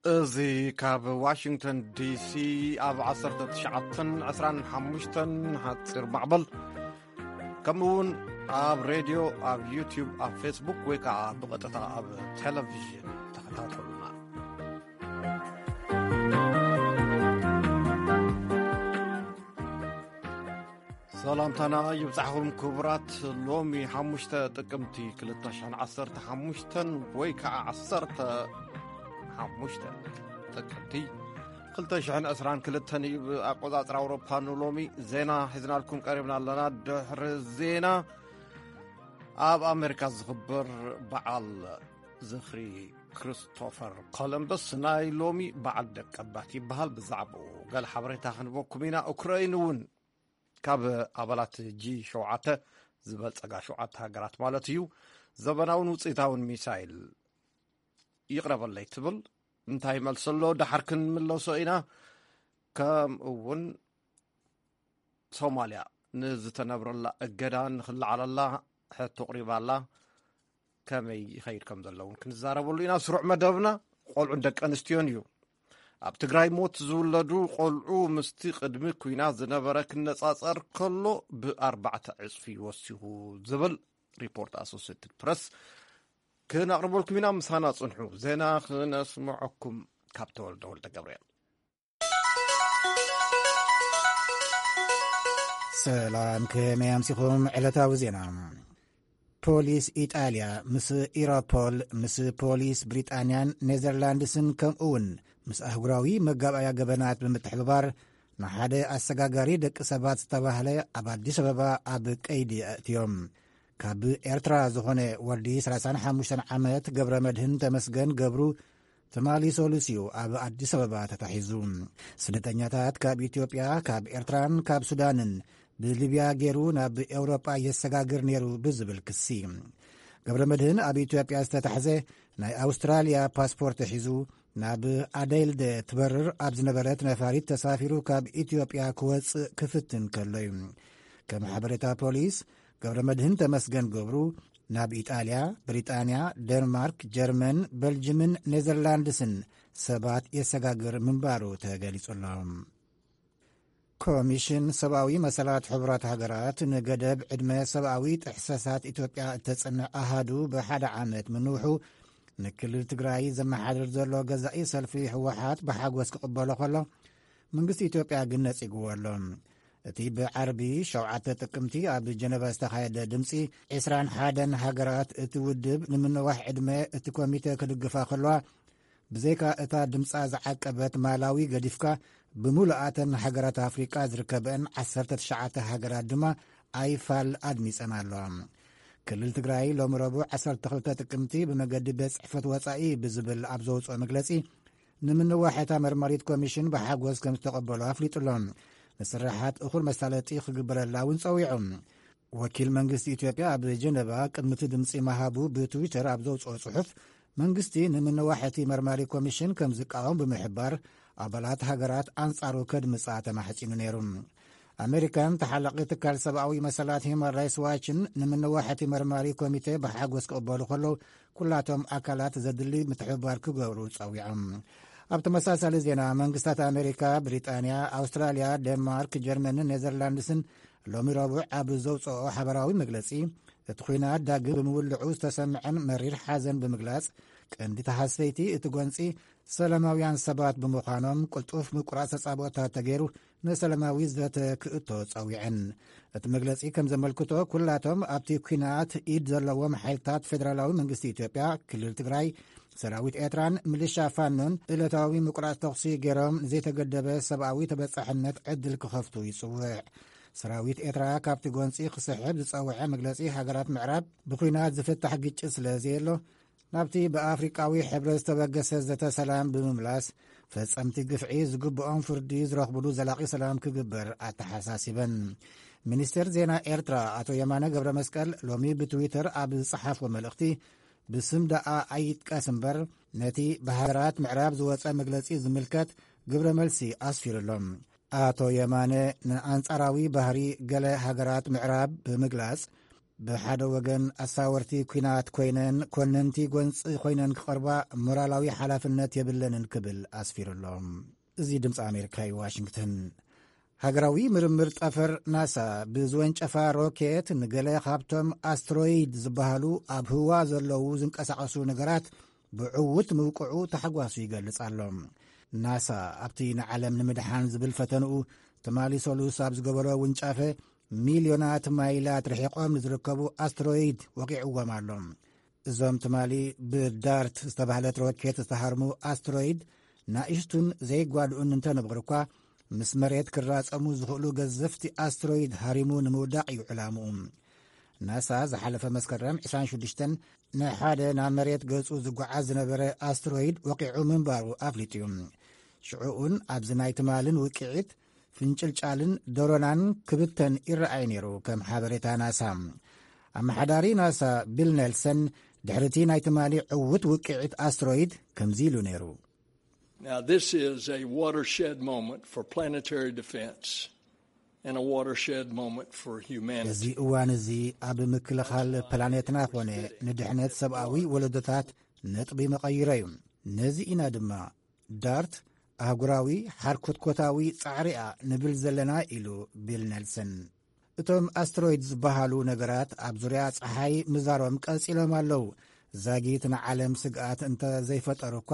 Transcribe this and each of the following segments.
እዚ ካብ ዋሽንግተን ዲሲ ኣብ ዓሰርተ ትሽዓተን ዕስራን ሓሙሽተን ሓጺር ማዕበል፣ ከምኡ እውን ኣብ ሬድዮ፣ ኣብ ዩቲዩብ፣ ኣብ ፌስቡክ ወይ ከዓ ብቐጥታ ኣብ ቴሌቪዥን ተኸታተሉና። ሰላምታና ይብጻሕኹም ክቡራት። ሎሚ ሓሙሽተ ጥቅምቲ ክልተ ሽሕን ዓሰርተ ሓሙሽተን ወይ ከዓ ዓሰርተ ሓሙሽተ ጥቅምቲ ክልተ ሽሕን ዕስራን ክልተን እዩ ብኣቆጻጽራ ኣውሮፓ። ንሎሚ ዜና ሒዝናልኩም ቀሪብና ኣለና። ድሕሪ ዜና፣ ኣብ ኣሜሪካ ዝኽበር በዓል ዝኽሪ ክርስቶፈር ኮሎምበስ ናይ ሎሚ በዓል ደቀባት ይበሃል። ብዛዕባኡ ገለ ሓበሬታ ክንበኩም ኢና። ኡክራይን እውን ካብ ኣባላት ጂ ሸውዓተ ዝበልጸጋ ሸውዓተ ሃገራት ማለት እዩ፣ ዘበናውን ውጽኢታውን ሚሳይል ይቕረበለይ ትብል። እንታይ መልሲ ኣሎ? ደሓር ክንምለሶ ኢና። ከምኡ እውን ሶማልያ ንዝተነብረላ እገዳ ንኽለዓለላ ሕቶ ኣቕሪባላ። ከመይ ይኸይድ ከም ዘሎ እውን ክንዛረበሉ ኢና። ስሩዕ መደብና ቆልዑን ደቂ ኣንስትዮን እዩ። ኣብ ትግራይ ሞት ዝውለዱ ቆልዑ ምስቲ ቅድሚ ኲናት ዝነበረ ክነጻጸር ከሎ ብኣርባዕተ ዕጽፊ ወሲኹ ዝብል ሪፖርት ኣሶሴትድ ፕረስ ክነቕርበልኩም ኢና። ምሳና ጽንሑ። ዜና ክነስምዐኩም ካብ ተወልደ ወልደ ገብርኤል። ሰላም፣ ከመይ ኣምሲኹም? ዕለታዊ ዜና። ፖሊስ ኢጣልያ ምስ ኢሮፖል፣ ምስ ፖሊስ ብሪጣንያን ኔዘርላንድስን፣ ከምኡ እውን ምስ ኣህጉራዊ መጋባእያ ገበናት ብምትሕብባር ንሓደ ኣሰጋጋሪ ደቂ ሰባት ዝተባህለ ኣብ ኣዲስ ኣበባ ኣብ ቀይዲ ኣእትዮም። ካብ ኤርትራ ዝኾነ ወዲ ሰላሳን ሓሙሽተን ዓመት ገብረ መድህን ተመስገን ገብሩ፣ ትማሊ ሰሉስ እዩ ኣብ ኣዲስ ኣበባ ተታሒዙ። ስደተኛታት ካብ ኢትዮጵያ፣ ካብ ኤርትራን ካብ ሱዳንን ብሊብያ ገይሩ ናብ ኤውሮጳ የሰጋግር ነይሩ ብዝብል ክሲ፣ ገብረ መድህን ኣብ ኢትዮጵያ ዝተታሕዘ ናይ ኣውስትራልያ ፓስፖርት ሒዙ ናብ ኣደይልደ ትበርር ኣብ ዝነበረት ነፋሪት ተሳፊሩ ካብ ኢትዮጵያ ክወጽእ ክፍትን ከሎ እዩ። ከም ሓበሬታ ፖሊስ፣ ገብረ መድህን ተመስገን ገብሩ ናብ ኢጣልያ፣ ብሪጣንያ፣ ደንማርክ፣ ጀርመን፣ በልጅምን ኔዘርላንድስን ሰባት የሰጋግር ምንባሩ ተገሊጹ ኣሎ። ኮሚሽን ሰብኣዊ መሰላት ሕቡራት ሃገራት ንገደብ ዕድመ ሰብኣዊ ጥሕሰታት ኢትዮጵያ እተጽንዕ ኣሃዱ ብሓደ ዓመት ምንውሑ፣ ንክልል ትግራይ ዘመሓድር ዘሎ ገዛኢ ሰልፊ ህወሓት ብሓጎስ ክቕበሎ ከሎ፣ መንግስቲ ኢትዮጵያ ግን ነጺግዎ ኣሎ። እቲ ብዓርቢ ሸውዓተ ጥቅምቲ ኣብ ጀነቫ ዝተኻየደ ድምጺ ዕስራን ሓደን ሃገራት፣ እቲ ውድብ ንምንዋሕ ዕድመ እቲ ኮሚተ ክድግፋ ከለዋ፣ ብዘይካ እታ ድምጻ ዝዓቀበት ማላዊ ገዲፍካ፣ ብምሉኣተን ሃገራት ኣፍሪቃ ዝርከበአን ዓሰርተ ትሽዓተ ሃገራት ድማ ኣይፋል ኣድሚጸን ኣለዋ። ክልል ትግራይ ሎሚ ረቡዕ ዓሰርተ ክልተ ጥቅምቲ ብመገዲ ቤት ጽሕፈት ወጻኢ ብዝብል ኣብ ዘውጽኦ መግለጺ፣ ንምንዋሕ እታ መርማሪት ኮሚሽን ብሓጎስ ከም ዝተቐበሎ ኣፍሊጡ ኣሎ። ንስራሓት እኹል መሳለጢ ክግበረላ እውን ጸዊዑ። ወኪል መንግስቲ ኢትዮጵያ ኣብ ጀነቫ ቅድሚ እቲ ድምጺ ምሃቡ ብትዊተር ኣብ ዘውጽኦ ጽሑፍ፣ መንግስቲ ንምንዋሕ እቲ መርማሪ ኮሚሽን ከም ዝቃወም ብምሕባር፣ ኣባላት ሃገራት ኣንጻሩ ከድምጻ ተማሕጺኑ ነይሩ። ኣሜሪካን ተሓላቒ ትካል ሰብኣዊ መሰላት ሂውማን ራይትስ ዋችን ንምንዋሕ እቲ መርማሪ ኮሚቴ ብሓጎስ ክቕበሉ ከለዉ፣ ኩላቶም ኣካላት ዘድሊ ምትሕብባር ክገብሩ ጸዊዖም። ኣብ ተመሳሳሊ ዜና፣ መንግስታት ኣሜሪካ፣ ብሪጣንያ፣ ኣውስትራልያ፣ ዴንማርክ፣ ጀርመንን ኔዘርላንድስን ሎሚ ረቡዕ ኣብ ዘውጽኦ ሓበራዊ መግለጺ፣ እቲ ኲናት ዳግም ብምውልዑ ዝተሰምዐን መሪር ሓዘን ብምግላጽ፣ ቀንዲ ተሃሰይቲ እቲ ጎንጺ ሰላማውያን ሰባት ብምዃኖም፣ ቅልጡፍ ምቁራጽ ተጻብኦታት ተገይሩ ንሰላማዊ ዘተ ክእቶ ጸዊዐን። እቲ መግለጺ ከም ዘመልክቶ፣ ኩላቶም ኣብቲ ኲናት ኢድ ዘለዎም ሓይልታት ፌደራላዊ መንግስቲ ኢትዮጵያ፣ ክልል ትግራይ፣ ሰራዊት ኤርትራን ምልሻ ፋኖን ዕለታዊ ምቁራጽ ተኹሲ ገይሮም ንዘይተገደበ ሰብኣዊ ተበጻሕነት ዕድል ክኸፍቱ ይጽውዕ። ሰራዊት ኤርትራ ካብቲ ጎንጺ ክስሕብ ዝጸውዐ መግለጺ፣ ሃገራት ምዕራብ ብኲናት ዝፍታሕ ግጭት ስለ ዘየሎ፣ ናብቲ ብኣፍሪቃዊ ሕብረት ዝተበገሰ ዘተ ሰላም ብምምላስ፣ ፈጸምቲ ግፍዒ ዝግብኦም ፍርዲ ዝረኽብሉ ዘላቒ ሰላም ክግበር ኣተሓሳሲበን። ሚኒስቴር ዜና ኤርትራ ኣቶ የማነ ገብረ መስቀል ሎሚ ብትዊተር ኣብ ዝጸሓፍዎ መልእኽቲ፣ ብስም ደኣ ኣይጥቀስ እምበር፣ ነቲ ብሃገራት ምዕራብ ዝወጸ መግለጺ ዝምልከት ግብረ መልሲ ኣስፊሩ ኣሎ። ኣቶ የማነ ንኣንጻራዊ ባህሪ ገለ ሃገራት ምዕራብ ብምግላጽ፣ ብሓደ ወገን ኣሳወርቲ ኲናት ኮይነን ኮነንቲ ጎንፂ ኮይነን ክቐርባ ሞራላዊ ሓላፍነት የብለንን ክብል ኣስፊሩ ኣሎ። እዚ ድምፂ ኣሜሪካ እዩ፣ ዋሽንግተን። ሃገራዊ ምርምር ጠፈር ናሳ ብዝወንጨፋ ሮኬት ንገለ ካብቶም ኣስትሮይድ ዝበሃሉ ኣብ ህዋ ዘለዉ ዝንቀሳቐሱ ነገራት ብዕውት ምብቅዑ ታሕጓሱ ይገልጽ ኣሎ። ናሳ ኣብቲ ንዓለም ንምድሓን ዝብል ፈተንኡ ትማሊ ሰሉስ ኣብ ዝገበሮ ውንጫፈ፣ ሚልዮናት ማይላት ርሒቖም ንዝርከቡ ኣስትሮይድ ወቂዕዎም ኣሎ። እዞም ትማሊ ብዳርት ዝተባህለት ሮኬት ዝተሃርሙ ኣስትሮይድ ናእሽቱን ዘይጓድኡን እንተነበሩ እኳ፣ ምስ መሬት ክራጸሙ ዝኽእሉ ገዘፍቲ ኣስትሮይድ ሃሪሙ ንምውዳቕ እዩ ዕላምኡ። ናሳ ዝሓለፈ መስከረም ዕስራን ሽዱሽተን ንሓደ ናብ መሬት ገጹ ዝጓዓዝ ዝነበረ ኣስትሮይድ ወቂዑ ምንባሩ ኣፍሊጡ እዩ። ሽዑኡን ኣብዚ ናይ ትማልን ውቅዒት ፍንጭልጫልን ደሮናን ክብተን ይረኣይ ነይሩ፣ ከም ሓበሬታ ናሳ። ኣመሓዳሪ ናሳ ቢል ኔልሰን ድሕሪቲ ናይ ትማሊ ዕውት ውቅዒት ኣስትሮይድ ከምዚ ኢሉ ነይሩ። Now, this is a watershed moment for planetary defense and a watershed moment for humanity. እዚ እዋን እዚ ኣብ ምክልኻል ፕላኔትና ኮነ ንድሕነት ሰብኣዊ ወለዶታት ነጥቢ መቐይሮ እዩ። ነዚ ኢና ድማ ዳርት ኣህጉራዊ ሓርኮትኮታዊ ጻዕሪኣ ንብል ዘለና ኢሉ ቢል ኔልሰን። እቶም ኣስትሮይድ ዝበሃሉ ነገራት ኣብ ዙርያ ጸሓይ ምዛሮም ቀጺሎም ኣለዉ። ዛጊት ንዓለም ስግኣት እንተ ዘይፈጠሩ እኳ፣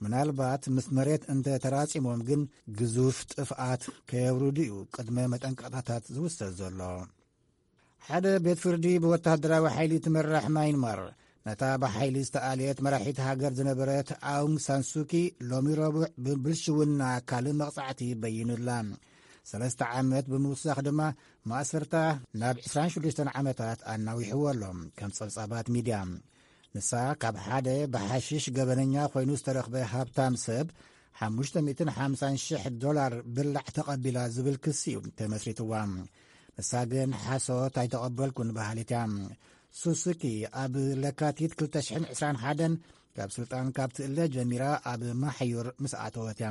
ምናልባት ምስ መሬት እንተ ተራጺሞም ግን ግዙፍ ጥፍኣት ከየውርዱ እዩ ቅድመ መጠንቀቕታታት ዝውሰድ ዘሎ። ሓደ ቤት ፍርዲ ብወታደራዊ ሓይሊ ትመራሕ ማይንማር ነታ ብሓይሊ ዝተኣልየት መራሒት ሃገር ዝነበረት ኣውንግ ሳንሱኪ ሎሚ ረቡዕ ብብልሽውና ካልእ መቕጻዕቲ በይኑላ። ሰለስተ ዓመት ብምውሳኽ ድማ ማእሰርታ ናብ ዕስራን ሽዱሽተን ዓመታት ኣናዊሕዎ ኣሎ፣ ከም ጸብጻባት ሚድያ። ንሳ ካብ ሓደ ብሓሽሽ ገበነኛ ኮይኑ ዝተረኽበ ሃብታም ሰብ ሓሙሽተ ሚእትን ሓምሳን ሽሕ ዶላር ብላዕ ተቐቢላ ዝብል ክሲ እዩ ተመስሪትዋ። ንሳ ግን ሓሶት ኣይተቐበልኩን በሃሊት እያ። ሱሱኪ ኣብ ለካቲት ክልተ ሽሕን ዕስራን ሓደን ካብ ስልጣን ካብ ትእለ ጀሚራ ኣብ ማሕዩር ምስ ኣተወት እያ።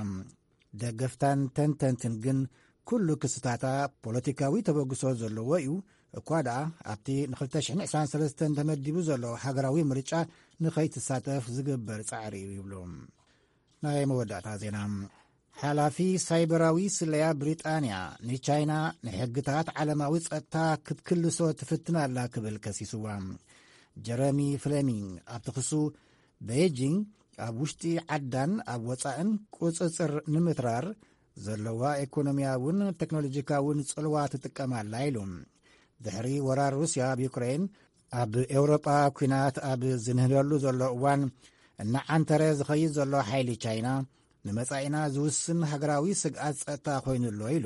ደገፍታን ተንተንትን ግን ኩሉ ክስታታ ፖለቲካዊ ተበግሶ ዘለዎ እዩ፣ እኳ ደኣ ኣብቲ ን ክልተ ሽሕን ዕስራን ሰለስተን ተመዲቡ ዘሎ ሃገራዊ ምርጫ ንኸይትሳተፍ ዝግበር ጻዕሪ እዩ ይብሉ። ናይ መወዳእታ ዜና። ሓላፊ ሳይበራዊ ስለያ ብሪጣንያ ንቻይና ንሕግታት ዓለማዊ ጸጥታ ክትክልሶ ትፍትን ኣላ ክብል ከሲስዋ። ጀረሚ ፍሌሚንግ ኣብቲ ክሱ፣ ቤይጂንግ ኣብ ውሽጢ ዓዳን ኣብ ወጻእን ቁጽጽር ንምትራር ዘለዋ ኢኮኖሚያውን ቴክኖሎጂካውን ጽልዋ ትጥቀም ኣላ ኢሉ። ድሕሪ ወራር ሩስያ ኣብ ዩክሬን፣ ኣብ ኤውሮጳ ኲናት ኣብ ዝንህለሉ ዘሎ እዋን፣ እናዓንተረ ዝኸይድ ዘሎ ሓይሊ ቻይና ንመጻኢና ዝውስን ሃገራዊ ስግኣት ጸጥታ ኮይኑ ኣሎ ኢሉ።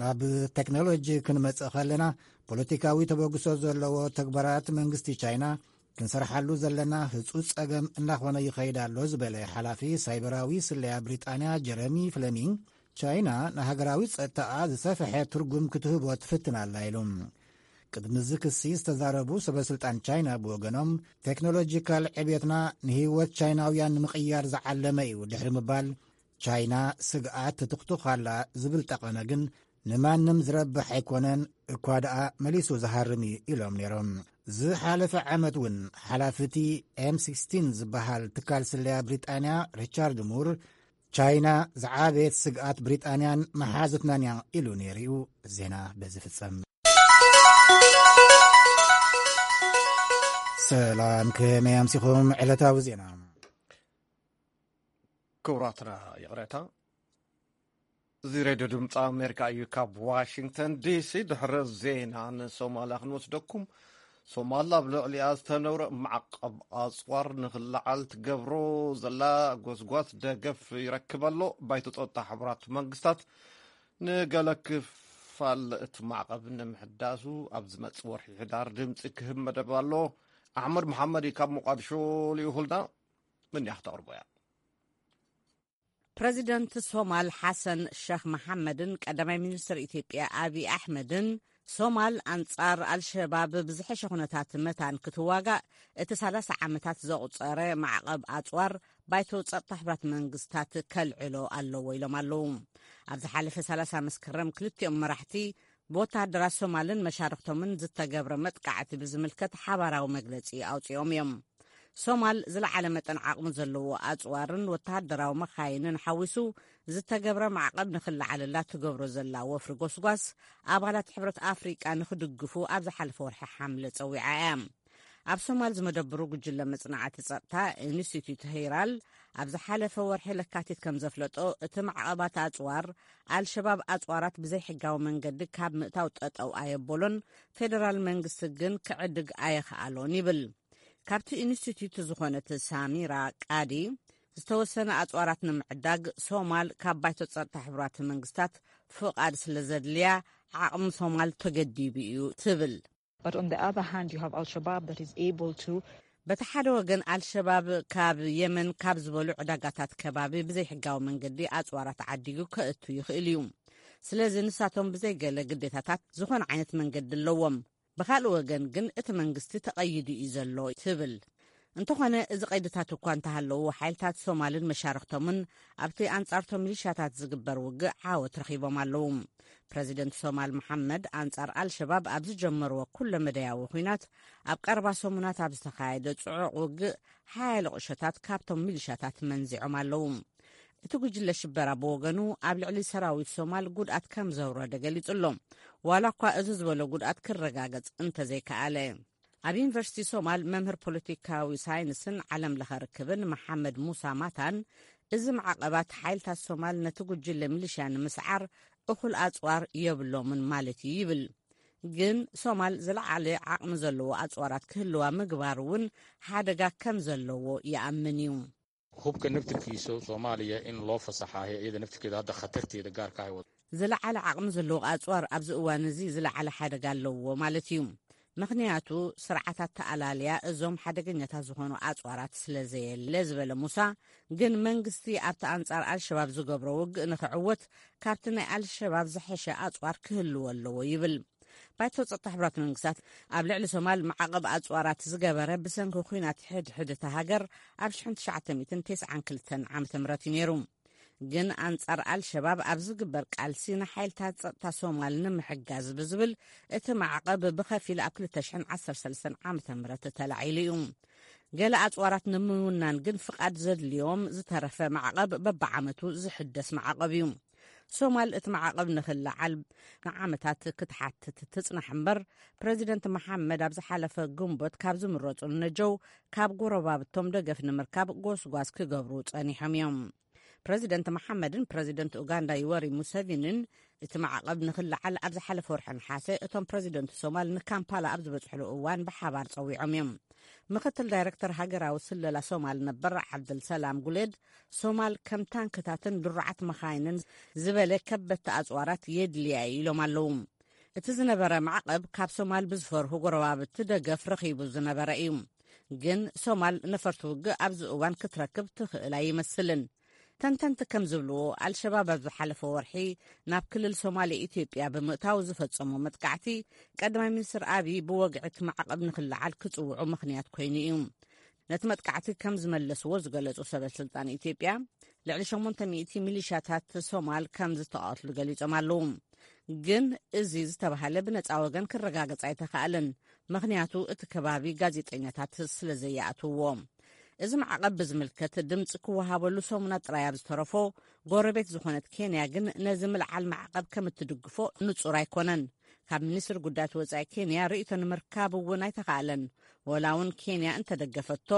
ናብ ቴክኖሎጂ ክንመጽእ ከለና፣ ፖለቲካዊ ተበግሶ ዘለዎ ተግባራት መንግስቲ ቻይና ክንሰርሓሉ ዘለና ህጹጽ ጸገም እናኾነ ይኸይድ ኣሎ ዝበለ ሓላፊ ሳይበራዊ ስለያ ብሪጣንያ ጀረሚ ፍሌሚንግ፣ ቻይና ንሃገራዊ ጸጥታኣ ዝሰፍሐ ትርጉም ክትህቦ ትፍትን ኣላ ኢሉ። ቅድሚ እዚ ክሲ ዝተዛረቡ ሰበ ስልጣን ቻይና ብወገኖም፣ ቴክኖሎጂካል ዕብየትና ንህይወት ቻይናውያን ንምቕያር ዝዓለመ እዩ ድሕሪ ምባል፣ ቻይና ስግኣት ትትኽትኽ ኣላ ዝብል ጠቐነ ግን ንማንም ዝረብሕ ኣይኮነን፣ እኳ ደኣ መሊሱ ዝሃርም እዩ ኢሎም ነይሮም። ዝሓለፈ ዓመት እውን ሓላፊ እቲ ኤም ሲክስቲን ዝበሃል ትካል ስለያ ብሪጣንያ ሪቻርድ ሙር፣ ቻይና ዝዓበየት ስግኣት ብሪጣንያን መሓዙትናን እያ ኢሉ ነይሩ እዩ። ዜና በዚ ፍጸም። ሰላም፣ ከመይ ኣምሲኹም? ዕለታዊ ዜና። ክቡራትና፣ ይቕሬታ። እዚ ሬድዮ ድምፂ ኣሜሪካ እዩ። ካብ ዋሽንግተን ዲሲ ድሕሪ ዜና ንሶማልያ ክንወስደኩም። ሶማል ኣብ ልዕሊኣ ዝተነብረ ማዕቐብ ኣፅዋር ንክለዓል ትገብሮ ዘላ ጎስጓስ ደገፍ ይረክብ ኣሎ። ባይቶ ፀጥታ ሕቡራት መንግስታት ንገለ ክፋል እቲ ማዕቐብ ንምሕዳሱ ኣብ ዝመፅእ ወርሒ ሕዳር ድምፂ ክህብ መደብ ኣሎ። ኣሕመድ መሓመድ እዩ ካብ ሞቃድሾ ልኢኹልና። ምን ያህ ተቕርቦ እያ። ፕረዚደንት ሶማል ሓሰን ሸኽ መሓመድን ቀዳማይ ሚኒስትር ኢትዮጵያ ኣብይ ኣሕመድን፣ ሶማል ኣንጻር ኣልሸባብ ብዝሐሸ ኩነታት መታን ክትዋጋእ እቲ ሰላሳ ዓመታት ዘቑጸረ ማዕቐብ ኣጽዋር ባይቶ ጸጥታ ሕቡራት መንግስታት ከልዕሎ ኣለዎ ኢሎም ኣለዉ። ኣብ ዝሓለፈ ሰላሳ መስከረም ክልቲኦም መራሕቲ ብወተሃደራት ሶማልን መሻርኽቶምን ዝተገብረ መጥቃዕቲ ብዝምልከት ሓባራዊ መግለጺ ኣውጺኦም እዮም። ሶማል ዝለዓለ መጠን ዓቕሚ ዘለዎ ኣጽዋርን ወተሃደራዊ መኻይንን ሓዊሱ ዝተገብረ ማዕቐብ ንኽለዓለላ ትገብሮ ዘላ ወፍሪ ጎስጓስ፣ ኣባላት ሕብረት ኣፍሪቃ ንኽድግፉ ኣብ ዝሓለፈ ወርሒ ሓምለ ጸዊዓ እያ። ኣብ ሶማል ዝመደብሩ ጉጅለ መጽናዕቲ ጸጥታ ኢንስቲትዩት ሄራል ኣብ ዝሓለፈ ወርሒ ለካቲት ከም ዘፍለጦ፣ እቲ ማዕቐባት ኣጽዋር፣ ኣልሸባብ ኣጽዋራት ብዘይሕጋዊ መንገዲ ካብ ምእታው ጠጠው ኣየበሎን፣ ፌደራል መንግስቲ ግን ክዕድግ ኣየኸኣሎን ይብል። ካብቲ ኢንስቲትዩት ዝኾነት ሳሚራ ቃዲ፣ ዝተወሰነ ኣጽዋራት ንምዕዳግ ሶማል ካብ ባይቶ ጸጥታ ሕቡራት መንግስታት ፍቓድ ስለ ዘድልያ፣ ዓቕሚ ሶማል ተገዲቡ እዩ ትብል። But on the other hand, you have Al-Shabaab that is able to በቲ ሓደ ወገን፣ ኣልሸባብ ካብ የመን ካብ ዝበሉ ዕዳጋታት ከባቢ ብዘይሕጋዊ መንገዲ ኣጽዋራት ዓዲጉ ከእቱ ይኽእል እዩ። ስለዚ ንሳቶም ብዘይገለ ግዴታታት ዝኾነ ዓይነት መንገዲ ኣለዎም። ብኻልእ ወገን ግን እቲ መንግስቲ ተቐይዱ እዩ ዘሎ ትብል። እንተኾነ፣ እዚ ቀይድታት እኳ እንተሃለዉ፣ ሓይልታት ሶማልን መሻርኽቶምን ኣብቲ ኣንጻርቶም ሚሊሻታት ዝግበር ውግእ ዓወት ረኺቦም ኣለዉ። ፕረዚደንት ሶማል መሓመድ ኣንጻር ኣልሸባብ ኣብ ዝጀመርዎ ኩለ መደያዊ ኲናት፣ ኣብ ቀረባ ሰሙናት ኣብ ዝተኻየደ ጽዑቕ ውግእ፣ ሓያለ ቁሸታት ካብቶም ሚሊሻታት መንዚዖም ኣለዉ። እቲ ጉጅለ ሽበራ ብወገኑ፣ ኣብ ልዕሊ ሰራዊት ሶማል ጉድኣት ከም ዘውረደ ገሊጹ ኣሎ። ዋላ እኳ እዚ ዝበሎ ጉድኣት ክረጋገጽ እንተዘይከኣለ። ኣብ ዩኒቨርሲቲ ሶማል መምህር ፖለቲካዊ ሳይንስን ዓለም ለኸ ርክብን መሓመድ ሙሳ ማታን፣ እዚ ማዕቐባት ሓይልታት ሶማል ነቲ ጉጅለ ሚሊሽያ ንምስዓር እኹል ኣጽዋር የብሎምን ማለት እዩ ይብል። ግን ሶማል ዝለዓለ ዓቕሚ ዘለዎ ኣጽዋራት ክህልዋ ምግባር እውን ሓደጋ ከም ዘለዎ ይኣምን እዩ። Hubka naftirkiisa Soomaaliya in loo fasaxaayo iyada naftirkeeda hadda khatarteeda gaarka ah wada. ዝለዓለ ዓቕሚ ዘለዎ ኣጽዋር ኣብዚ እዋን እዚ ዝለዓለ ሓደጋ ኣለዎ ማለት እዩ። ምኽንያቱ፣ ስርዓታት ተኣላልያ እዞም ሓደገኛታት ዝኾኑ ኣጽዋራት ስለ ዘየለ ዝበለ ሙሳ፣ ግን መንግስቲ ኣብቲ ኣንጻር ኣልሸባብ ዝገብሮ ውግእ ንኽዕወት፣ ካብቲ ናይ ኣልሸባብ ዝሐሸ ኣጽዋር ክህልዎ ኣለዎ ይብል። ባይቶ ጸጥታ ሕቡራት መንግስታት ኣብ ልዕሊ ሶማል ማዕቐብ ኣጽዋራት ዝገበረ ብሰንኪ ኲናት ሕድሕድ እታ ሃገር ኣብ ሽሕን ትሽዓተ ሚእትን ተስዓን ክልተን ዓመተ ምህረት እዩ ነይሩ። ግን ኣንጻር ኣልሸባብ ኣብ ዝግበር ቃልሲ ንሓይልታት ጸጥታ ሶማል ንምሕጋዝ ብዝብል እቲ ማዕቐብ ብኸፊል ኣብ ክልተ ሽሕን ዓሰርተ ሰለስተን ዓመተ ምህረት ተላዒሉ እዩ። ገለ ኣጽዋራት ንምውናን ግን ፍቓድ ዘድልዮም ዝተረፈ ማዕቐብ በብዓመቱ ዝሕደስ ማዕቐብ እዩ። ሶማል እቲ ማዕቐብ ንኽለዓል ንዓመታት ክትሓትት ትጽናሕ እምበር፣ ፕረዚደንት መሓመድ ኣብ ዝሓለፈ ግንቦት ካብ ዝምረጹ ንነጀው ካብ ጎረባብቶም ደገፍ ንምርካብ ጎስጓስ ክገብሩ ጸኒሖም እዮም። ፕረዚደንት መሓመድን ፕረዚደንት ኡጋንዳ ዩወሪ ሙሰቪንን እቲ ማዕቐብ ንኽለዓል ኣብ ዝሓለፈ ወርሒ ነሓሰ እቶም ፕረዚደንት ሶማል ንካምፓላ ኣብ ዝበጽሕሉ እዋን ብሓባር ጸዊዖም እዮም። ምኽትል ዳይረክተር ሃገራዊ ስለላ ሶማል ነበር ዓብደልሰላም ጉሌድ፣ ሶማል ከም ታንክታትን ድሩዓት መኻይንን ዝበለ ከበድቲ ኣጽዋራት የድልያ እዩ ኢሎም ኣለዉ። እቲ ዝነበረ ማዕቐብ ካብ ሶማል ብዝፈርሁ ጎረባብቲ ደገፍ ረኺቡ ዝነበረ እዩ። ግን ሶማል ነፈርቲ ውግእ ኣብዚ እዋን ክትረክብ ትኽእል ኣይመስልን። ተንተንቲ ከም ዝብልዎ፣ ኣልሸባብ ኣብ ዝሓለፈ ወርሒ ናብ ክልል ሶማሌ ኢትዮጵያ ብምእታው ዝፈጸሞ መጥቃዕቲ፣ ቀዳማይ ሚኒስትር ኣብይ ብወግዒ እቲ ማዕቐብ ንኽለዓል ክጽውዑ ምኽንያት ኮይኑ እዩ። ነቲ መጥቃዕቲ ከም ዝመለስዎ ዝገለጹ ሰበ ስልጣን ኢትዮጵያ፣ ልዕሊ ሸሞንተ ሚእቲ ሚሊሻታት ሶማል ከም ዝተቐትሉ ገሊጾም ኣለዉ። ግን እዚ ዝተባህለ ብነጻ ወገን ክረጋገጽ ኣይተኻእለን፣ ምኽንያቱ እቲ ከባቢ ጋዜጠኛታት ስለ ዘይኣትውዎ። እዚ ማዕቐብ ብዝምልከት ድምፂ ክወሃበሉ ሰሙናት ጥራይ ኣብ ዝተረፎ፣ ጎረቤት ዝኾነት ኬንያ ግን ነዚ ምልዓል ማዕቐብ ከም እትድግፎ ንጹር ኣይኮነን። ካብ ሚኒስትሪ ጉዳያት ወጻኢ ኬንያ ርእይቶ ንምርካብ እውን ኣይተኻእለን። ወላ እውን ኬንያ እንተደገፈቶ፣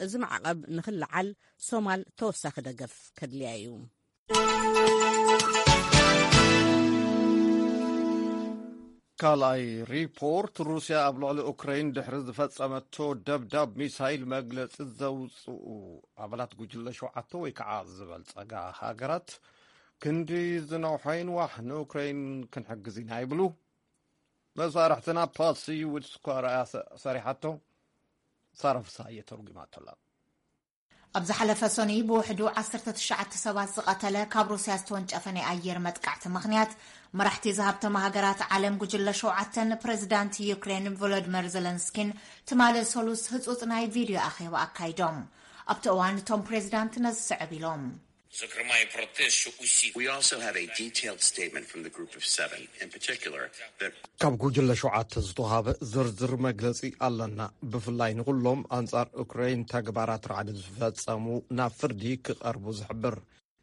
እዚ ማዕቐብ ንኽለዓል ሶማል ተወሳኺ ደገፍ ከድልያ እዩ። ካልኣይ ሪፖርት፣ ሩስያ ኣብ ልዕሊ ኡክረይን ድሕሪ ዝፈጸመቶ ደብዳብ ሚሳይል መግለጺ ዘውጽኡ ኣባላት ጉጅለ ሸውዓተ ወይ ከዓ ዝበልጸጋ ሃገራት፣ ክንዲ ዝነውሐ ይንዋሕ ንኡክረይን ክንሕግዝ ኢና ይብሉ። መሳርሕትና ፓሲ ውድስኳ ረኣያ ሰ-፣ ሰሪሓቶ፣ ሳራ ፍስሃየ ተርጉማቶ ኣላ። ኣብ ዝሓለፈ ሰኑይ ብውሕዱ ዓሰርተ ትሽዓተ ሰባት ዝቐተለ ካብ ሩስያ ዝተወንጨፈ ናይ ኣየር መጥቃዕቲ ምኽንያት፣ መራሕቲ ዝሃብተማ ሃገራት ዓለም ጉጅለ ሸውዓተን ፕረዚዳንት ዩክሬን ቮሎዲመር ዘለንስኪን ትማሊ ሰሉስ ህጹጽ ናይ ቪድዮ ኣኼባ ኣካይዶም። ኣብቲ እዋን እቶም ፕሬዚዳንት ነዚ ስዕብ ኢሎም። Зокрема, і про те, що усі We also have a detailed statement from the group of seven, in particular, that ካብ ጉጅለ ሸውዓተ ዝተዋሃበ ዝርዝር መግለጺ ኣለና። ብፍላይ ንኹሎም ኣንጻር ኡክራይን ተግባራት ራዕዲ ዝፈጸሙ ናብ ፍርዲ ክቐርቡ ዝሕብር።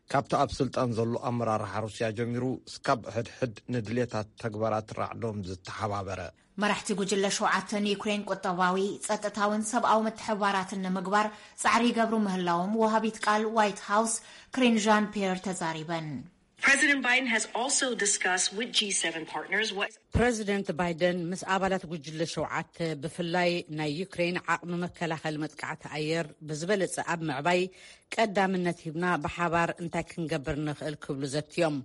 ካብቲ ኣብ ስልጣን ዘሎ ኣመራርሓ ሩስያ ጀሚሩ፣ ስካብ ሕድሕድ ንድሌታት ተግባራት ራዕዶም ዝተሓባበረ። መራሕቲ ጉጅለ ሸውዓተ ንዩክሬን ቁጠባዊ፣ ጸጥታውን ሰብኣዊ ምትሕብባራትን ንምግባር ጻዕሪ ይገብሩ ምህላዎም ወሃቢት ቃል ዋይት ሃውስ ክሪን ዣን ፒየር ተዛሪበን። President Biden has also discussed with G seven partners what ፕረዚደንት ባይደን ምስ ኣባላት ጉጅለ ሸውዓተ ብፍላይ ናይ ዩክሬን ዓቕሚ መከላኸሊ መጥቃዕቲ ኣየር ብዝበለጸ ኣብ ምዕባይ ቀዳምነት ሂብና ብሓባር እንታይ ክንገብር ንኽእል ክብሉ ዘትዮም።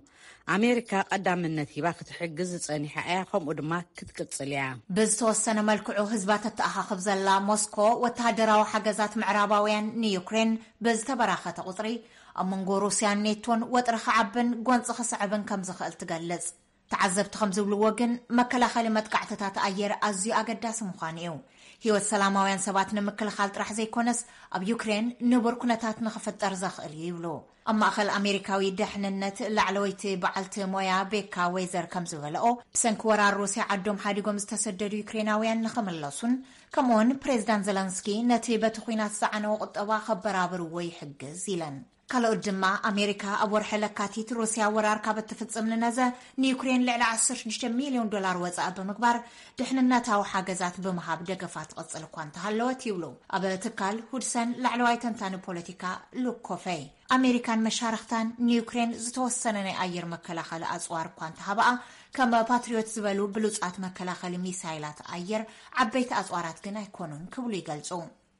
ኣሜሪካ ቀዳምነት ሂባ ክትሕግዝ ዝጸኒሓ እያ፣ ከምኡ ድማ ክትቅጽል እያ። ብዝተወሰነ መልክዑ ህዝባ ተተኣኻኽብ ዘላ ሞስኮ፣ ወተሃደራዊ ሓገዛት ምዕራባውያን ንዩክሬን ብዝተበራኸተ ቁጽሪ፣ ኣብ መንጎ ሩስያን ኔቶን ወጥሪ ክዓብን ጎንጺ ክስዕብን ከም ዝኽእል ትገልጽ። ተዓዘብቲ ከም ዝብልዎ ግን፣ መከላኸሊ መጥቃዕትታት ኣየር ኣዝዩ ኣገዳሲ ምዃኑ እዩ። ህይወት ሰላማውያን ሰባት ንምክልኻል ጥራሕ ዘይኮነስ፣ ኣብ ዩክሬን ንቡር ኩነታት ንኽፍጠር ዘኽእል እዩ ይብሉ። ኣብ ማእኸል ኣሜሪካዊ ደሕንነት ላዕለወይቲ በዓልቲ ሞያ ቤካ ዌዘር ከም ዝበለኦ፣ ብሰንኪ ወራር ሩስያ ዓዶም ሓዲጎም ዝተሰደዱ ዩክሬናውያን ንኽምለሱን ከምኡውን ፕሬዚዳንት ዘለንስኪ ነቲ በቲ ኲናት ዝዓነወ ቁጠባ ከበራብርዎ ይሕግዝ ኢለን። ካልኦት ድማ፣ ኣሜሪካ ኣብ ወርሒ ለካቲት ሩስያ ወራር ካብ እትፍጽም ንነዘ ንዩክሬን ልዕሊ ዓሰርተ ሽዱሽተ ሚልዮን ዶላር ወጻኢ ብምግባር፣ ድሕንነታዊ ሓገዛት ብምሃብ ደገፋ ትቕጽል እኳ እንተሃለወት ይብሉ ኣብ ትካል ሁድሰን ላዕለዋይ ተንታኒ ፖለቲካ ሉክ ኮፈይ። ኣሜሪካን መሻርኽታን ንዩክሬን ዝተወሰነ ናይ ኣየር መከላኸሊ ኣጽዋር እኳ እንተሃበኣ፣ ከም ፓትሪዮት ዝበሉ ብሉጻት መከላኸሊ ሚሳይላት ኣየር ዓበይቲ ኣጽዋራት ግን ኣይኮኑን ክብሉ ይገልጹ።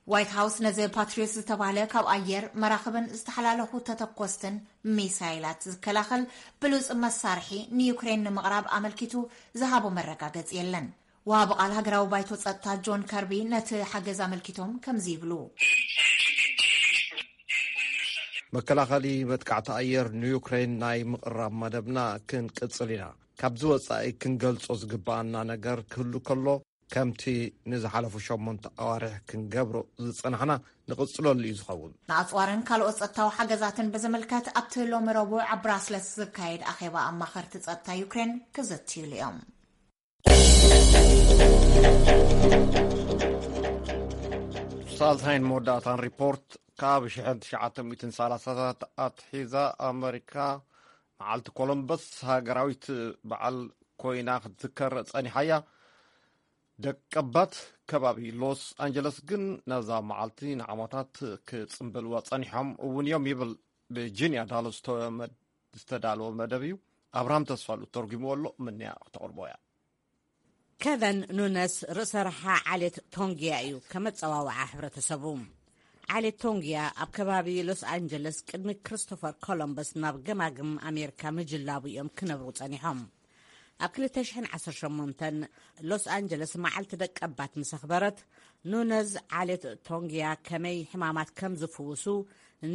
ዋይት ሃውስ ነዚ ፓትሪዮት ዝተባህለ ካብ ኣየር፣ መራኽብን ዝተሓላለኹ ተተኮስትን ሚሳይላት ዝከላኸል ብሉጽ መሳርሒ ንዩክሬን ንምቕራብ ኣመልኪቱ ዝሃቦ መረጋገጺ የለን። ወሃቢ ቃል ሃገራዊ ባይቶ ጸጥታ ጆን ከርቢ ነቲ ሓገዝ ኣመልኪቶም ከምዚ ይብሉ። መከላኸሊ መጥቃዕቲ ኣየር ንዩክሬን ናይ ምቕራብ መደብና ክንቅጽል ኢና። ካብዚ ወጻኢ ክንገልጾ ዝግብኣና ነገር ክህሉ ከሎ፣ ከምቲ ንዝሓለፉ ሸሞንተ ኣዋርሕ ክንገብሮ ዝጸናሕና ንቕጽለሉ እዩ ዝኸውን። ንኣጽዋርን ካልኦት ጸጥታዊ ሓገዛትን ብዝምልከት ኣብቲ ሎሚ ረቡዕ ኣብ ብራስለስ ዝካየድ ኣኼባ ኣማኸርቲ ጸጥታ ዩክሬን ክዝትዩሉ እዮም። ሳልሳይን መወዳእታን ሪፖርት። ካብ ሽሕን ትሽዓተ ሚእትን ሰላሳታት ኣትሒዛ ኣመሪካ መዓልቲ ኮሎምበስ ሃገራዊት በዓል ኮይና ክትዝከር ጸኒሓያ። ደቀባት ከባቢ ሎስ ኣንጀለስ ግን ነዛ መዓልቲ ንዓመታት ክጽምበልዋ ጸኒሖም እውን እዮም ይብል ብጂንያ ዳሎ ዝተወመድ ዝተዳለወ መደብ እዩ። ኣብርሃም ተስፋሉ ተርጉምዎ ኣሎ። ምንያ ክተቕርቦ እያ። ከቨን ኑነስ ርእሰ ረሓ ዓሌት ቶንግያ እዩ። ከመጸዋውዓ ሕብረተሰቡ ዓሌት ቶንግያ ኣብ ከባቢ ሎስ ኣንጀለስ ቅድሚ ክርስቶፈር ኮሎምበስ ናብ ገማግም ኣሜሪካ ምጅላቡ እዮም ክነብሩ ጸኒሖም። ኣብ ክልተ ሽሕን ዓሰርተ ሸሞንተን ሎስ ኣንጀለስ መዓልቲ ደቀባት ምስ ኣኽበረት፣ ኑነዝ ዓሌት ቶንግያ ከመይ ሕማማት ከም ዝፍውሱ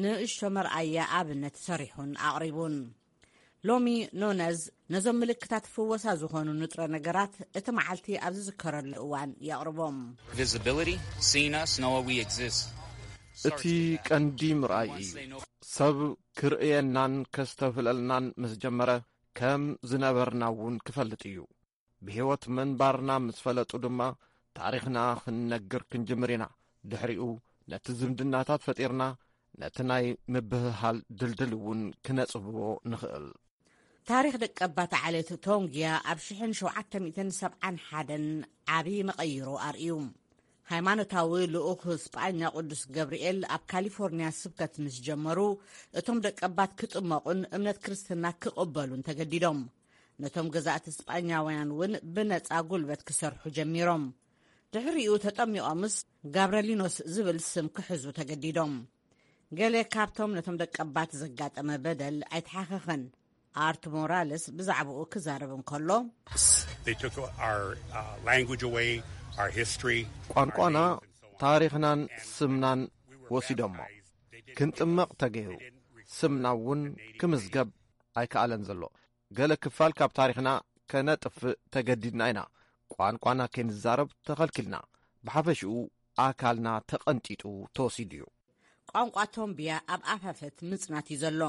ንእሽቶ መርኣያ ኣብነት ሰሪሑን ኣቕሪቡን። ሎሚ ኑነዝ ነዞም ምልክታት ፍወሳ ዝኾኑ ንጥረ ነገራት እቲ መዓልቲ ኣብ ዝዝከረሉ እዋን የቕርቦም። Visibility, seeing us, knowing we exist. እቲ ቀንዲ ምርኣይ እዩ። ሰብ ክርእየናን ከስተብህለልናን ምስ ጀመረ፣ ከም ዝነበርና እውን ክፈልጥ እዩ። ብህይወት ምንባርና ምስ ፈለጡ ድማ፣ ታሪኽና ክንነግር ክንጅምር ኢና። ድሕሪኡ ነቲ ዝምድናታት ፈጢርና፣ ነቲ ናይ ምብህሃል ድልድል እውን ክነጽብቦ ንኽእል። ታሪኽ ደቀባት ዓሌት ቶንግያ ኣብ ሽሕን ሸውዓተ ሚእትን ሰብዓን ሓደን ዓቢ መቐይሮ ኣርእዩ። ሃይማኖታዊ ልኡኽ ስጳኛ ቅዱስ ገብርኤል ኣብ ካሊፎርንያ ስብከት ምስ ጀመሩ፣ እቶም ደቀባት ክጥመቑን እምነት ክርስትና ክቕበሉን ተገዲዶም። ነቶም ገዛእቲ ስጳኛውያን እውን ብነጻ ጉልበት ክሰርሑ ጀሚሮም። ድሕሪኡ ተጠሚቖምስ ጋብረሊኖስ ዝብል ስም ክሕዙ ተገዲዶም። ገለ ካብቶም ነቶም ደቀባት ዘጋጠመ በደል ኣይተሓኸኸን። ኣርት ሞራልስ ብዛዕባኡ ክዛረብ እንከሎ፣ They took our uh, language away, our history, ቋንቋና፣ ታሪኽናን ስምናን ወሲዶሞ። ክንጥመቕ ተገይሩ፣ ስምና እውን ክምዝገብ ኣይከኣለን ዘሎ። ገለ ክፋል ካብ ታሪኽና ከነጥፍእ ተገዲድና ኢና። ቋንቋና ከይንዛረብ ተኸልኪልና። ብሓፈሽኡ ኣካልና ተቐንጢጡ ተወሲዱ እዩ። ቋንቋ ቶምብያ ኣብ ኣፋፈት ምጽናት እዩ ዘሎ።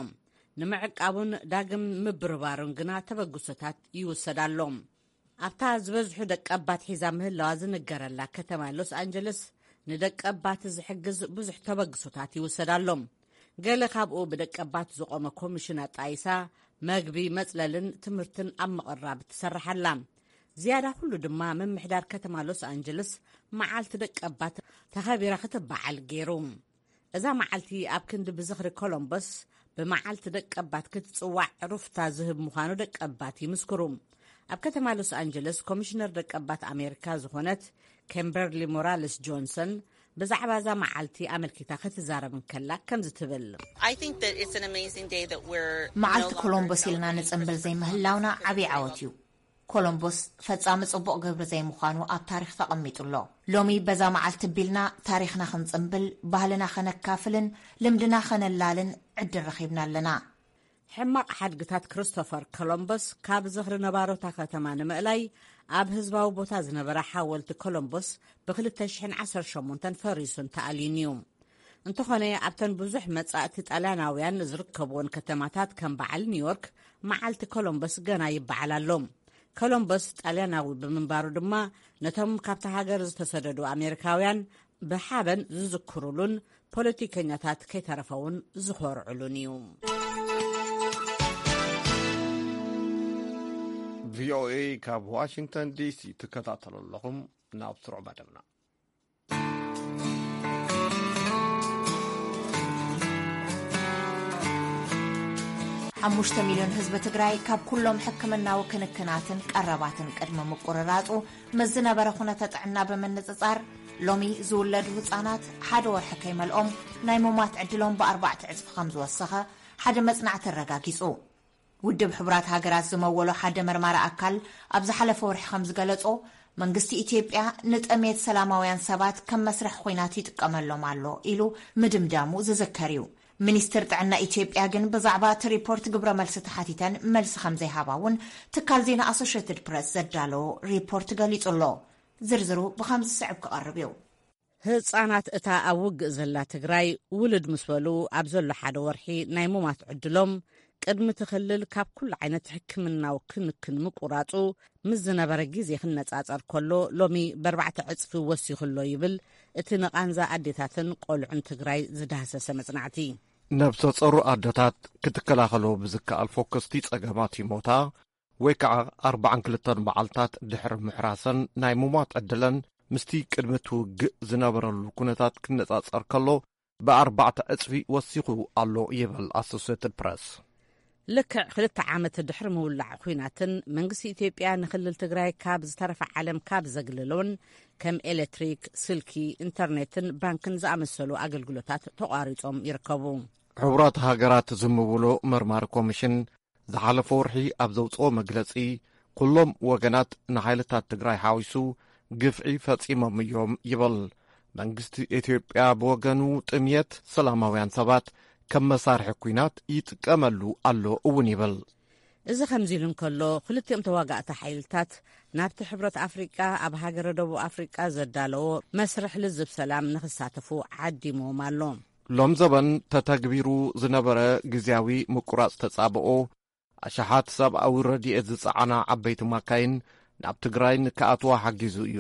ንምዕቃቡን ዳግም ምብርባሩን ግና ተበግሶታት ይውሰድ ኣሎ። ኣብታ ዝበዝሑ ደቀባት ሒዛ ምህላዋ ዝንገረላ ከተማ ሎስ ኣንጀለስ፣ ንደቀባት ዝሕግዝ ብዙሕ ተበግሶታት ይውሰድ ኣሎ። ገለ ካብኡ ብደቀባት ዝቖመ ኮሚሽን ኣጣይሳ መግቢ፣ መጽለልን ትምህርትን ኣብ ምቕራብ ትሰርሕ ኣላ። ዝያዳ ኩሉ ድማ ምምሕዳር ከተማ ሎስ ኣንጀለስ መዓልቲ ደቀባት ተኸቢራ ክትበዓል ገይሩ። እዛ መዓልቲ ኣብ ክንዲ ብዝኽሪ ኮሎምበስ ብመዓልቲ ደቀባት ክትጽዋዕ ሩፍታ ዝህብ ምዃኑ ደቀባት ይምስክሩ። ኣብ ከተማ ሎስ ኣንጀለስ ኮሚሽነር ደቀባት ኣሜሪካ ዝኾነት ኬምበርሊ ሞራልስ ጆንሰን ብዛዕባ እዛ መዓልቲ ኣመልኪታ ክትዛረብ እንከላ ከምዚ ትብል። I think that it's an amazing day that we're መዓልቲ ኮሎምቦስ ኢልና ንጽንብል ዘይምህላውና ዓብዪ ዓወት እዩ። ኮሎምቦስ ፈጻሚ ጽቡቕ ግብሪ ዘይምዃኑ ኣብ ታሪኽ ተቐሚጡ ኣሎ። ሎሚ በዛ መዓልቲ ቢልና ታሪኽና ክንጽንብል፣ ባህልና ከነካፍልን ልምድና ከነላልን ዕድል ረኺብና ኣለና። ሕማቕ ሓድግታት ክርስቶፈር ኮሎምበስ ካብ ዝኽሪ ነባሮታ ከተማ ንምእላይ ኣብ ህዝባዊ ቦታ ዝነበረ ሓወልቲ ኮሎምቦስ ብ ክልተ ሽሕን ዓሰርተ ሸሞንተን ፈሪሱን ተኣልዩን እዩ። እንተኾነ ኣብተን ብዙሕ መጻእቲ ጣልያናውያን ዝርከብዎን ከተማታት ከም በዓል ኒውዮርክ መዓልቲ ኮሎምበስ ገና ይበዓል ኣሎ። ኮሎምበስ ጣልያናዊ ብምንባሩ ድማ ነቶም ካብታ ሃገር ዝተሰደዱ ኣሜሪካውያን ብሓበን ዝዝክሩሉን ፖለቲከኛታት ከይተረፈውን ዝኾርዕሉን እዩ። ቪኦኤ ካብ ዋሽንግተን ዲሲ ትከታተሉ ኣለኹም። ናብ ስሩዕ መደብና። ሓሙሽተ ሚልዮን ህዝቢ ትግራይ ካብ ኩሎም ሕክምናዊ ክንክናትን ቀረባትን ቅድሚ ምቁርራጹ ምስ ዝነበረ ኩነተ ጥዕና ብምንጽጻር፣ ሎሚ ዝውለዱ ህጻናት ሓደ ወርሒ ከይመልኦም ናይ ምሟት ዕድሎም ብኣርባዕተ ዕጽፊ ከም ዝወሰኸ ሓደ መጽናዕቲ ኣረጋጊጹ። ውድብ ሕቡራት ሃገራት ዝመወሎ ሓደ መርማሪ ኣካል ኣብ ዝሓለፈ ወርሒ ከም ዝገለጾ፣ መንግስቲ ኢትዮጵያ ንጥሜት ሰላማውያን ሰባት ከም መስርሕ ኹናት ይጥቀመሎም ኣሎ ኢሉ ምድምዳሙ ዝዝከር እዩ። ሚኒስትር ጥዕና ኢትዮጵያ ግን ብዛዕባ እቲ ሪፖርት ግብረ መልሲ ተሓቲተን መልሲ ከም ዘይሃባ እውን ትካል ዜና ኣሶሽየትድ ፕረስ ዘዳለዎ ሪፖርት ገሊጹ ኣሎ። ዝርዝሩ ብኸምዚ ዝስዕብ ክቐርብ እዩ። ህጻናት እታ ኣብ ውግእ ዘላ ትግራይ ውሉድ ምስ በሉ ኣብ ዘሎ ሓደ ወርሒ ናይ ሙማት ዕድሎም ቅድሚ እቲ ክልል ካብ ኩሉ ዓይነት ሕክምናዊ ክንክን ምቁራጹ ምስ ዝነበረ ግዜ ክነጻጸር ከሎ ሎሚ ብኣርባዕተ ዕጽፊ ወሲኹ ኣሎ ይብል እቲ ንቓንዛ ኣዴታትን ቆልዑን ትግራይ ዝዳህሰሰ መጽናዕቲ። ነብሰ ጸሩ ኣደታት ክትከላኸሎ ብዝከኣል ፎከስቲ ጸገማት ይሞታ ወይ ከዓ ኣርባዓን ክልተን መዓልታት ድሕሪ ምሕራሰን ናይ ምሟት ዕድለን ምስቲ ቅድሚ እቲ ውግእ ዝነበረሉ ኩነታት ክነጻጸር ከሎ ብኣርባዕተ ዕጽፊ ወሲኹ ኣሎ ይብል ኣሶሴትድ ፕረስ። ልክዕ ክልተ ዓመት ድሕሪ ምውላዕ ኹናትን መንግስቲ ኢትዮጵያ ንክልል ትግራይ ካብ ዝተረፈ ዓለም ካብ ዘግልሎን ከም ኤሌክትሪክ፣ ስልኪ፣ ኢንተርኔትን ባንክን ዝኣመሰሉ ኣገልግሎታት ተቋሪጾም ይርከቡ። ሕቡራት ሃገራት ዝምውሎ መርማሪ ኮሚሽን ዝሓለፈ ወርሒ ኣብ ዘውፅኦ መግለፂ፣ ኩሎም ወገናት ንሓይልታት ትግራይ ሓዊሱ ግፍዒ ፈፂሞም እዮም ይብል። መንግስቲ ኢትዮጵያ ብወገኑ ጥምየት ሰላማውያን ሰባት ከም መሳርሒ ኲናት ይጥቀመሉ ኣሎ እውን ይብል። እዚ ከምዚ ኢሉ እንከሎ፣ ክልቲኦም ተዋጋእቲ ሓይልታት ናብቲ ሕብረት ኣፍሪቃ ኣብ ሃገረ ደቡብ ኣፍሪቃ ዘዳለዎ መስርሕ ልዝብ ሰላም ንኽሳተፉ ዓዲምዎም ኣሎ። ሎም ዘበን ተተግቢሩ ዝነበረ ግዝያዊ ምቁራጽ ተጻብኦ፣ ኣሽሓት ሰብኣዊ ረድኤት ዝጸዓና ዓበይቲ ማካይን ናብ ትግራይ ንክኣትዋ ሓጊዙ እዩ።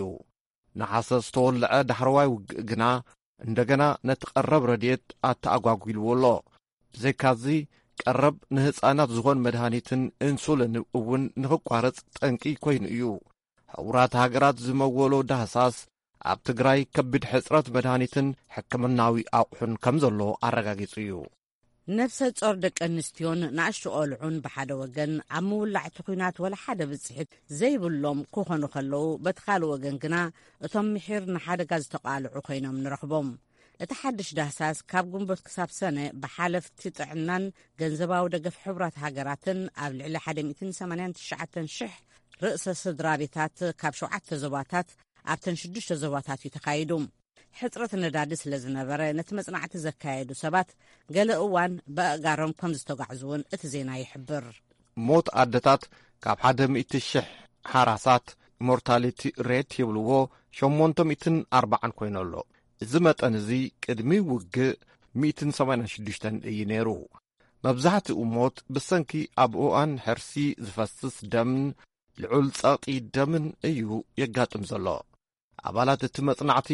ነሓሰ ዝተወልዐ ዳሕረዋይ ውግእ ግና እንደገና ነቲ ቀረብ ረድኤት ኣተኣጓጒልዎ ኣሎ። ብዘይካዚ ቀረብ ንህጻናት ዝኾን መድሃኒትን ኢንሱሊን እውን ንኽቋረጽ ጠንቂ ኮይኑ እዩ። ሕቡራት ሃገራት ዝመወሎ ዳህሳስ ኣብ ትግራይ ከቢድ ሕጽረት መድሃኒትን ሕክምናዊ ኣቑሑን ከም ዘሎ ኣረጋጊጹ እዩ። ነፍሰ ጾር ደቂ ኣንስትዮን ንኣሽቱ ቆልዑን ብሓደ ወገን ኣብ ምውላዕ እቲ ኲናት ወላ ሓደ ብጽሒት ዘይብሎም ክኾኑ ከለዉ፣ በቲ ካልእ ወገን ግና እቶም ምሒር ንሓደጋ ዝተቓልዑ ኮይኖም ንረኽቦም። እቲ ሓድሽ ዳህሳስ ካብ ግንቦት ክሳብ ሰነ ብሓለፍቲ ጥዕናን ገንዘባዊ ደገፍ ሕቡራት ሃገራትን ኣብ ልዕሊ ሓደ ሚእትን ሰማንያን ትሽዓተን ሽሕ ርእሰ ስድራ ቤታት ካብ ሸውዓተ ዞባታት ኣብተን ሽዱሽተ ዞባታት እዩ ተኻይዱ። ሕጽረት ነዳዲ ስለ ዝነበረ፣ ነቲ መጽናዕቲ ዘካየዱ ሰባት ገለ እዋን ብኣእጋሮም ከም ዝተጓዕዙ እውን እቲ ዜና ይሕብር። ሞት ኣደታት ካብ ሓደ ሚእቲ ሽሕ ሓራሳት፣ ሞርታሊቲ ሬት ይብልዎ፣ ሸሞንተ ሚእትን ኣርባዓን ኮይኑ ኣሎ። እዚ መጠን እዚ ቅድሚ ውግእ ሚእትን ሰማንያን ሽዱሽተን እዩ ነይሩ። መብዛሕትኡ ሞት ብሰንኪ ኣብ እዋን ሕርሲ ዝፈስስ ደምን ልዑል ጸቕጢ ደምን እዩ የጋጥም ዘሎ። ኣባላት እቲ መጽናዕቲ፣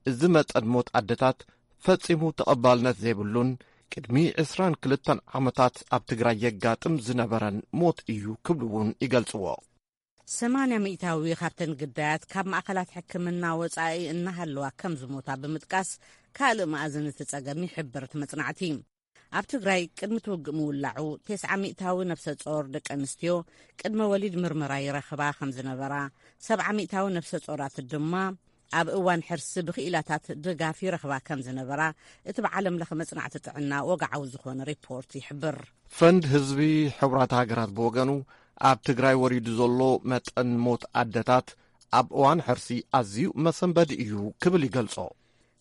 እዚ መጠን ሞት ኣደታት ፈጺሙ ተቐባልነት ዘይብሉን ቅድሚ ዕስራን ክልተን ዓመታት ኣብ ትግራይ የጋጥም ዝነበረን ሞት እዩ ክብሉ እውን ይገልጽዎ። ሰማንያ ሚእታዊ ካብተን ግዳያት ካብ ማእኸላት ሕክምና ወጻኢ እናሃለዋ ከም ዝሞታ ብምጥቃስ፣ ካልእ መኣዝን እቲ ጸገም ይሕብር እቲ መጽናዕቲ። ኣብ ትግራይ ቅድሚ እቲ ውግእ ምውላዑ፣ ተስዓ ሚእታዊ ነፍሰ ጾር ደቂ ኣንስትዮ ቅድመ ወሊድ ምርመራ ይረኽባ ከም ዝነበራ፣ ሰብዓ ሚእታዊ ነፍሰ ጾራት ድማ ኣብ እዋን ሕርሲ ብክኢላታት ድጋፍ ይረኽባ ከም ዝነበራ፣ እቲ ብዓለም ለኸ መጽናዕቲ ጥዕና ወግዓዊ ዝኾነ ሪፖርት ይሕብር። ፈንድ ህዝቢ ሕቡራት ሃገራት ብወገኑ፣ ኣብ ትግራይ ወሪዱ ዘሎ መጠን ሞት ኣደታት ኣብ እዋን ሕርሲ ኣዝዩ መሰንበዲ እዩ ክብል ይገልጾ።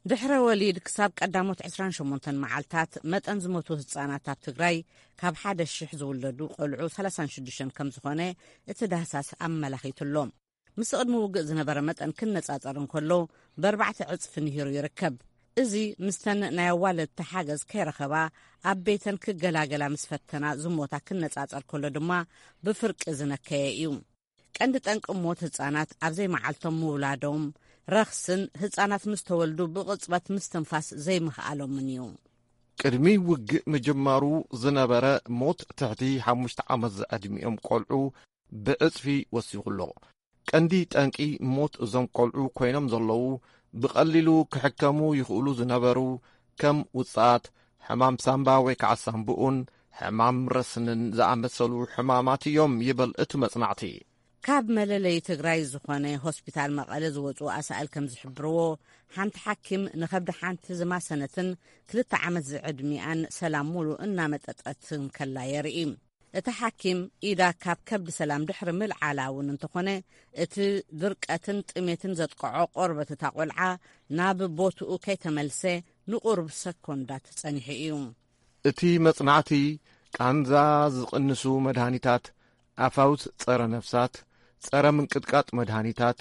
ድሕረ ወሊድ ክሳብ ቀዳሞት ዕስራን ሸሞንተን መዓልታት፣ መጠን ዝሞቱ ህጻናት ኣብ ትግራይ፣ ካብ ሓደ ሽሕ ዝውለዱ ቆልዑ ሰላሳን ሽዱሽተን ከም ዝኾነ እቲ ዳህሳስ ኣመላኺቱ ኣሎ። ምስ ቅድሚ ውግእ ዝነበረ መጠን ክነጻጸር እንከሎ፣ ብኣርባዕተ ዕጽፊ ንሂሩ ይርከብ። እዚ፣ ምስተን ናይ ኣዋለድቲ ሓገዝ ከይረኸባ ኣብ ቤተን ክገላገላ ምስ ፈተና ዝሞታ ክነጻጸር ከሎ ድማ፣ ብፍርቂ ዝነከየ እዩ። ቀንዲ ጠንቂ ሞት ህጻናት ኣብ ዘይመዓልቶም ምውላዶም፣ ረኽስን ህጻናት ምስ ተወልዱ ብቕጽበት ምስትንፋስ ዘይምኽኣሎምን እዩ። ቅድሚ ውግእ ምጅማሩ ዝነበረ ሞት ትሕቲ ሓሙሽተ ዓመት ዝዕድሚኦም ቆልዑ ብዕጽፊ ወሲኹ ኣሎ። ቀንዲ ጠንቂ ሞት እዞም ቆልዑ ኮይኖም ዘለዉ፣ ብቐሊሉ ክሕከሙ ይኽእሉ ዝነበሩ፣ ከም ውጽኣት፣ ሕማም ሳምባ ወይ ከዓ ሳምብኡን ሕማም ረስንን ዝኣመሰሉ ሕማማት እዮም ይብል እቲ መጽናዕቲ። ካብ መለለይ ትግራይ ዝኾነ ሆስፒታል መቐለ ዝወፁ ኣሳእል ከም ዝሕብርዎ፣ ሓንቲ ሓኪም ንኸብዲ ሓንቲ ዝማሰነትን ክልተ ዓመት ዝዕድሚኣን ሰላም ሙሉ እናመጠጠት እንከላ የርኢ። እቲ ሓኪም፣ ኢዳ ካብ ከብዲ ሰላም ድሕሪ ምልዓላ እውን እንተኾነ፣ እቲ ድርቀትን ጥሜትን ዘጥቅዖ ቆርበት እታ ቆልዓ ናብ ቦትኡ ከይተመልሰ ንቁሩብ ሰኮንዳት ጸኒሑ እዩ። እቲ መጽናዕቲ፣ ቃንዛ ዝቕንሱ መድሃኒታት፣ ኣፋውስ ጸረ ነፍሳት፣ ጸረ ምንቅጥቃጥ መድሃኒታት፣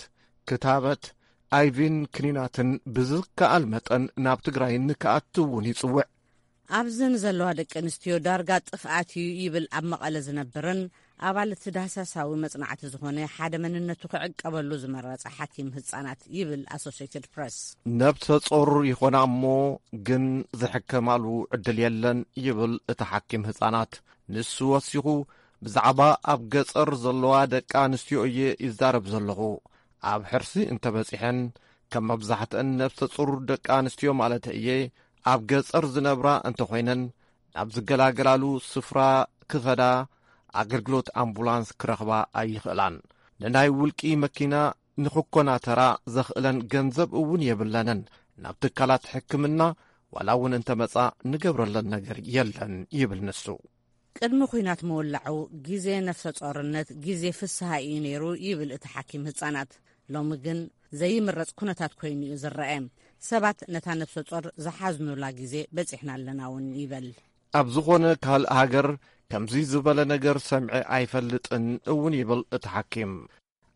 ክታበት፣ ኣይቪን ክኒናትን ብዝከኣል መጠን ናብ ትግራይ ንክኣቱ እውን ይጽውዕ። ኣብዚ ንዘለዋ ደቂ ኣንስትዮ ዳርጋ ጥፍኣት እዩ ይብል ኣብ መቐለ ዝነብርን ኣባል እቲ ዳህሳሳዊ መጽናዕቲ ዝኾነ ሓደ መንነቱ ክዕቀበሉ ዝመረጸ ሓኪም ህጻናት ይብል ኣሶሴትድ ፕረስ። ነብሰ ጾር ይኾና እሞ ግን ዝሕከማሉ ዕድል የለን ይብል እቲ ሓኪም ህጻናት። ንሱ ወሲኹ ብዛዕባ ኣብ ገጸር ዘለዋ ደቂ ኣንስትዮ እየ ይዛረብ ዘለኹ። ኣብ ሕርሲ እንተበጺሐን ከም መብዛሕትአን ነብሰ ጹር ደቂ ኣንስትዮ ማለት እየ ኣብ ገጸር ዝነብራ እንተኾይነን ናብ ዝገላገላሉ ስፍራ ክኸዳ ኣገልግሎት ኣምቡላንስ ክረኽባ ኣይኽእላን። ንናይ ውልቂ መኪና ንኽኮናተራ ዘኽእለን ገንዘብ እውን የብለንን። ናብ ትካላት ሕክምና ዋላ እውን እንተመጻ ንገብረለን ነገር የለን ይብል ንሱ። ቅድሚ ኲናት ምውላዑ ግዜ ነፍሰ ጾርነት ግዜ ፍስሃ እዩ ነይሩ ይብል እቲ ሓኪም ህጻናት። ሎሚ ግን ዘይምረጽ ኩነታት ኮይኑ እዩ ዝረአ። ሰባት ነታ ነፍሰ ጾር ዝሓዝኑላ ግዜ በጺሕና ኣለና እውን ይበል። ኣብ ዝኾነ ካልእ ሃገር ከምዚ ዝበለ ነገር ሰምዐ ኣይፈልጥን እውን ይብል እቲ ሓኪም።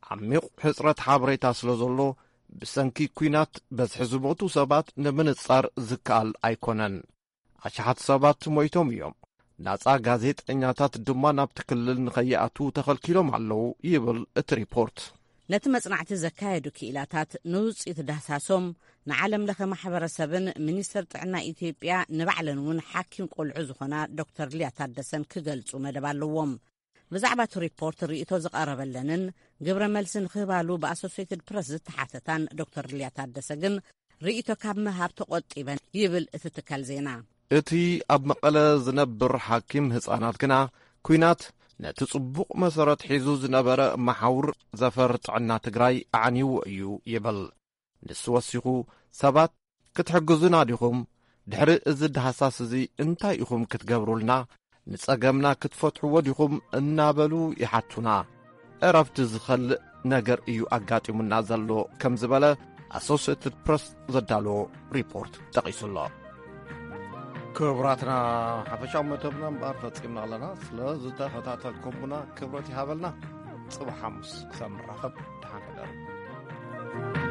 ዓሚቕ ሕጽረት ሓበሬታ ስለ ዘሎ፣ ብሰንኪ ኲናት በዝሒ ዝሞቱ ሰባት ንምንጻር ዝከኣል ኣይኮነን። ኣሽሓት ሰባት ሞይቶም እዮም። ናጻ ጋዜጠኛታት ድማ ናብቲ ክልል ንኸይኣትዉ ተኸልኪሎም ኣለዉ ይብል እቲ ሪፖርት። ነቲ መጽናዕቲ ዘካየዱ ክኢላታት ንውጽኢት ዳህሳሶም ንዓለም ለኸ ማሕበረሰብን ሚኒስትር ጥዕና ኢትዮጵያ ንባዕለን እውን ሓኪም ቆልዑ ዝኾና ዶክተር ሊያ ታደሰን ክገልጹ መደብ ኣለዎም። ብዛዕባ እቲ ሪፖርት ርእይቶ ዝቐረበለንን ግብረ መልሲ ንክህባሉ ብኣሶሴትድ ፕረስ ዝተሓተታን ዶክተር ሊያ ታደሰ ግን ርእይቶ ካብ ምሃብ ተቖጢበን ይብል እቲ ትካል ዜና። እቲ ኣብ መቐለ ዝነብር ሓኪም ህጻናት ግና፣ ኲናት ነቲ ጽቡቕ መሰረት ሒዙ ዝነበረ መሓውር ዘፈር ጥዕና ትግራይ ኣዕንይዎ እዩ ይብል። ንሱ ወሲኹ፣ ሰባት ክትሕግዙና ዲኹም? ድሕሪ እዚ ዳህሳስ እዚ እንታይ ኢኹም ክትገብሩልና? ንጸገምና ክትፈትሕዎ ዲኹም? እናበሉ ይሓቱና። ዕረፍቲ ዝኸልእ ነገር እዩ ኣጋጢሙና ዘሎ ከም ዝበለ ኣሶሴትድ ፕረስ ዘዳለዎ ሪፖርት ጠቒሱ ኣሎ። ክቡራትና፣ ሓፈሻዊ መደብና እምበኣር ፈጺምና ኣለና። ስለ ዝተኸታተልኩምና ክብረት ይሃበልና። ጽባሕ ሓሙስ ክሳብ ንራኸብ ደሓን ሕደሩ።